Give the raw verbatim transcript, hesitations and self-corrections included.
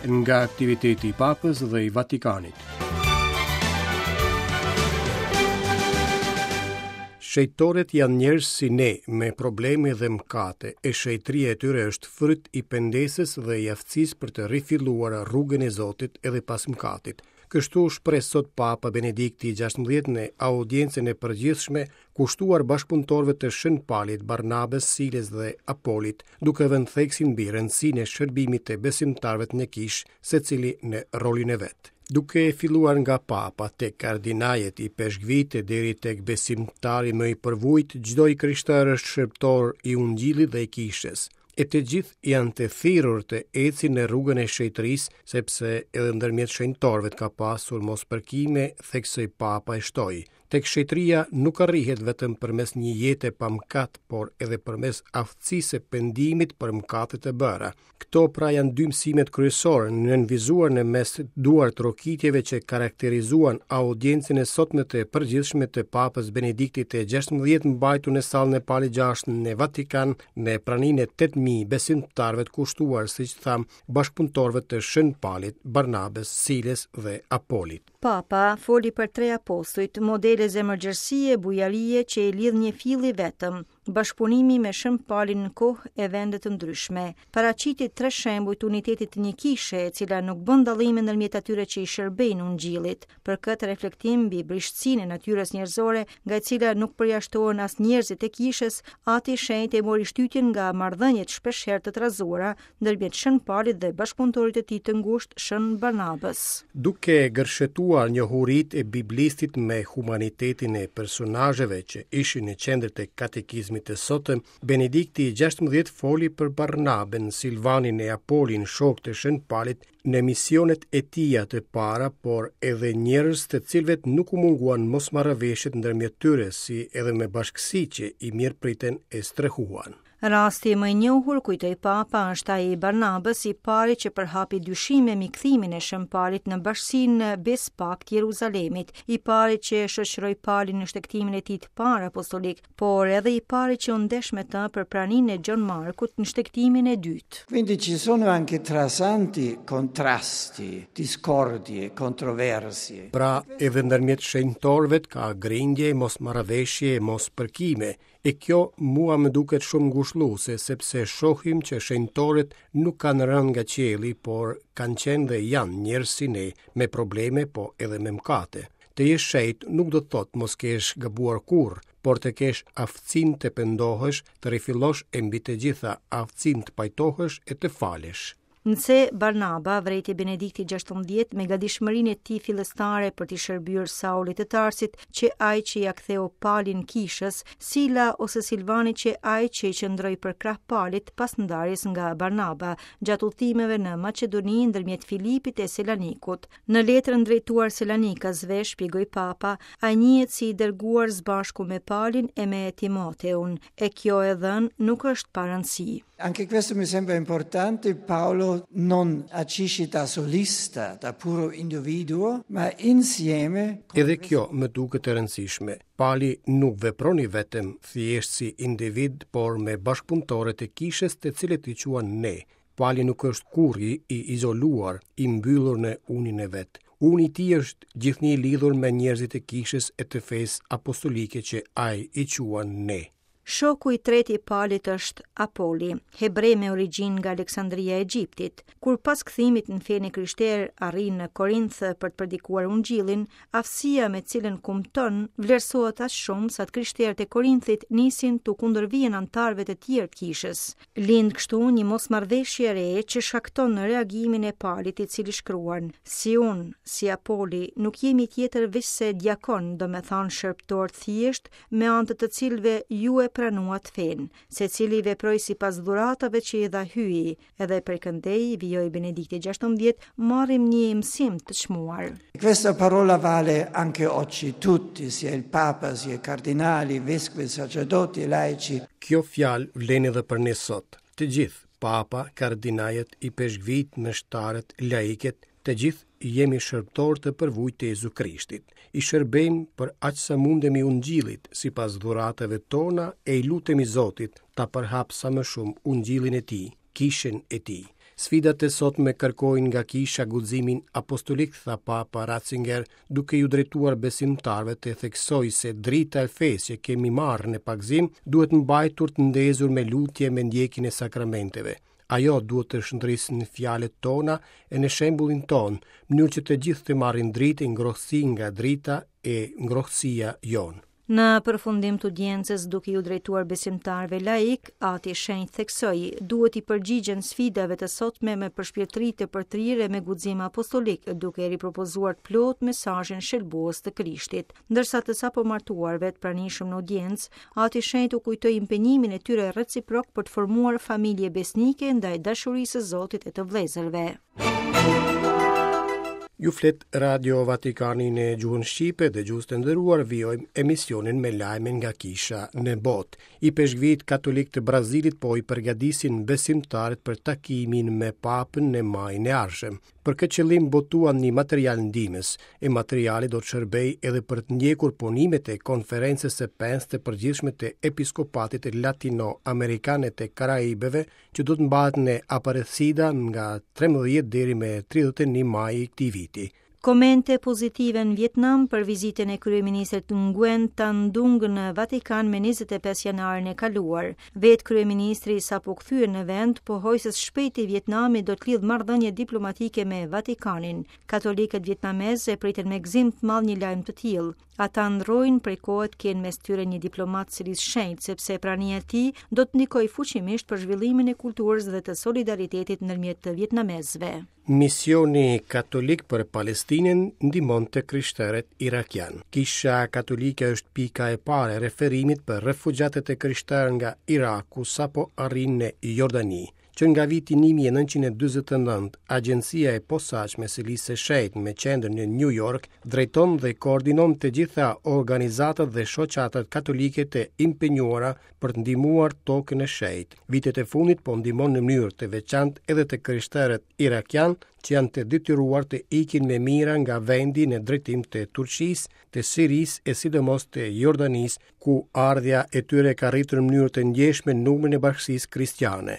Nga aktiviteti i Papës dhe i Vatikanit. Shenjtorët janë njerëz si ne, me probleme dhe mëkate, e shenjtëria e tyre është fryt i pendesës dhe i aftësisë për të rifilluar rrugën e Zotit edhe pas mëkatit. Kështu u shpreh sot Papa Benedikti i gjashtëmbëdhjetë në audiencën e përgjithshme kushtuar bashkëpunëtorëve të Shën Palit, Barnabës, Silës dhe Apolit, duke vënë theksin mbi rëndësinë e shërbimit të besimtarëve në kishë, secili në rolin e vet. Duke filluar nga Papa tek kardinajet, ipeshkvijtë deri tek besimtari më i përvujt, çdo i krishterë është shërbëtor i Ungjillit dhe i kishës. E të gjithë janë të thirrur të ecin në rrugën e shenjtërisë, sepse edhe ndërmjet shenjtorëve ka pasur mospërkime, theksoi Papa e shtoi. Tek shenjtëria nuk arrihet vetëm përmes një jete pa mëkat, por edhe përmes aftësisë së pendimit për mëkatet e bëra. Këto pra janë dy mësimet kryesore nënvizuar në mes duartrokitjeve që karakterizuan audiencën e sotme të përgjithshme të Papës Benediktit të gjashtëmbëdhjetë mbajtur në sallën e Palit gjashtë në Vatikan në praninë e tetë mijë besimtarëve të kushtuar, siç tham, bashkëpunëtorëve të Shën Palit, Barnabës, Silës dhe Apolit. Papa foli për tre apostujt, modele zemërgjerësie, bujarie që i lidh një fill i vetëm, bashkëpunimi me Shën Palin në kohë e vende të ndryshme. Paraqiti tre shembuj të unitetit të një kishe, e cila nuk bën dallime ndërmjet atyre që i shërbejnë Ungjillit. Për këtë reflektim mbi brishtësinë e natyrës njerëzore, nga e cila nuk përjashtohen as njerëzit e kishës, Ati i Shenjtë e mori shtytjen nga marrëdhëniet shpeshherë të trazuara ndërmjet Shën Palit dhe bashkëpunëtorit të tij të ngushtë Shën Barnabës. Duke gërshetuar njohuritë e biblistit me humanitetin e personazheve që ishin në qendër të katekizmit të sotëm, Benedikti i gjashtëmbëdhjetë foli për Barnabën, Silvanin e Apolin, shokë të Shën Palit, në misionet e tija të para, por edhe njerëz të cilëve nuk u munguan mosmarrëveshjet ndërmjet tyre, si edhe me bashkësi që i mirëpritën e strehuan. Rasti më i njohur, kujtoi Papa, është ai i Barnabës, i pari që përhapi dyshime mbi kthimin e Shën Palit në bashkësinë Bespakt Jeruzalemit, i pari që shoqëroi Palin në shtegtimin e tij të parë apostolik, por edhe i pari që u ndesh me të për praninë e Gjon Markut në shtegtimin e dytë. Quindi ci sono anche tra santi contrasti, discordie, controversie. Pra, edhe ndërmjet shenjtorëve ka grindje, mosmarrëveshje, mospërkime. E kjo mua më duket shumë ngushëlluese, sepse shohim që shenjtorët nuk kanë rënë nga qielli, por kanë qenë dhe janë njerëz si ne, me probleme, po edhe me mëkate. Të jesh shenjt nuk do të thotë mos kesh gabuar kurrë, por të kesh aftësinë të pendohesh, të rifillosh e mbi të gjitha aftësinë të pajtohesh e të falesh. Nëse Barnaba vrejti Benedikti gjashtëmbëdhjetë me gatishmërinë e tij fillestare për t'i shërbyer Saulit të Tarsit, që ai që ia ktheu Palin kishës, Sila ose Silvani që ai që i qëndroi përkrah Palit pas ndarjes nga Barnaba, gjatë udhëtimeve në Maqedoni ndërmjet Filipit e Selanikut. Në letrën drejtuar Selanikasve, shpjegoi Papa, ai njihet si i dërguar së bashku me Palin e me Timoteun, e kjo e dhënë nuk është pa rëndësi. Anche questo mi sembra importante, Paolo non agisce da solista, da puro individuo, ma insieme. Edhe kjo më duket e rëndësishme. Pali nuk vepron i vetëm, thjesht si individ, por me bashkëpunëtorët e kishës të cilët i quan ne. Pali nuk është kurrë i izoluar, i mbyllur në unin e vet. Uni i tij është gjithnjë i lidhur me njerëzit e kishës e të fesë apostolike që ai i quan ne. Shoku i tretë i Palit është Apoli, hebre me origjinë nga Aleksandria e Egjiptit. Kur pas kthimit në fenë e krishterë arrin në Korinth për të predikuar Ungjillin, aftësia me cilën kumton vlerësohet aq shumë sa të krishterët e Korinthit nisin t'u kundërvihen anëtarëve të tjerë të kishës. Lind kështu një mosmarrëveshje e re që shkakton reagimin e Palit, i cili shkruan: Si unë, si Apoli, nuk jemi tjetër veç se diakon, do me thanë shërbëtor thjesht, me anë të të cilëve ju e pranuat fenë, se cili veproi sipas dhuratave që i dha Hyji, edhe për këndej, vijoi Benedikti gjashtëmbëdhjetë, marrim një mësim të çmuar. Questa parola vale anche oggi, tutti, sia il Papa, sia i cardinali, vescovi, sacerdoti, laici. Kjo fjalë vlen edhe për ne sot. Të gjithë, Papa, kardinajet, ipeshkvijt, meshtarët, laiket, të gjithë jemi shërbëtor të përvujt të Jezu Krishtit. I shërbejmë për aq sa mundemi Ungjillit, sipas dhuratave tona, e i lutemi Zotit ta përhap sa më shumë Ungjillin e tij, kishën e tij. Sfidat e sotme kërkojnë nga kisha guximin apostolik, tha Papa Ratzinger, duke iu drejtuar besimtarëve të theksoi se drita e fesë që kemi marrë në pagëzim duhet mbajtur të ndezur me lutje me ndjekjen e sakramenteve. Ajo duhet të shndrisë në fjalët tona e në shembullin tonë, në mënyrë që të gjithë të marrin dritë e ngrohtësi nga drita e ngrohtësia jonë. Në përfundim të audiencës, duke iu drejtuar besimtarëve laik, Ati i Shenjtë theksoi, duhet t'i përgjigjen sfidave të sotme me përshpirtëri të përtrirë e me guxim apostolik, duke ripropozuar të plot mesazhin shëlbues të Krishtit. Ndërsa të sapo martuarve të pranishëm në audiencë, Ati i Shenjtë u kujtoi impenjimin e tyre reciprok për të formuar familje besnike ndaj dashurisë së Zotit e të vëllezërve. Ju flet Radio Vatikani në gjuhën shqipe dhe gjuhës të nderuar, vijojmë emisionin me lajme nga kisha në botë. Ipeshkvit katolik të Brazilit po i përgatisin besimtarët për takimin me papën në majin e ardhshëm. Për këtë qëllim botuan një material ndihmës, e materiali do të shërbejë edhe për të ndjekur punimet e konferencës së pestë të përgjithshme të Episkopatit Latino-Amerikane të Karaibeve, që do të mbahet në Aparecida nga trembëdhjetë deri me tridhjetë e një maj i këtij viti. Komente pozitive në Vietnam për vizitën e kryeministrit Nguyen Tan Dung në Vatikan me njëzet e pesë janarin e kaluar. Vetë kryeministri sapo kthyer në vend pohoi se së shpejti Vietnami do të lidhë marrëdhënie diplomatike me Vatikanin. Katolikët vietnamezë e pritën me gëzim të madh një lajm të tillë. Ata ndrojnë prej kohe të kenë mes tyre një diplomat selisë shenjtë, sepse prania e tij do të ndikojë fuqimisht për zhvillimin e kulturës dhe të solidaritetit ndërmjet të vietnamezëve. Misioni katolik për Palestinën ndihmon të krishterët irakian. Kisha katolike është pika e parë e referimit për refugjatët e krishterë nga Iraku sapo arrin në Jordani. Që nga viti një mijë e nëntëqind e dyzet e nëntë, Agjencia e Posaçme e Selisë së Shenjtë me qendër në New York drejton dhe koordinon të gjitha organizatat dhe shoqatat katolike të impenjuara për të ndihmuar tokën e shenjtë. Vitet e fundit po ndihmon në mënyrë të veçantë edhe të krishterët irakian që janë të detyruar të ikin me mira nga vendi në drejtim të Turqisë, të Sirisë e sidomos të Jordanisë, ku ardhja e tyre ka rritur në mënyrë të ndjeshme numrin e bashkësisë kristiane.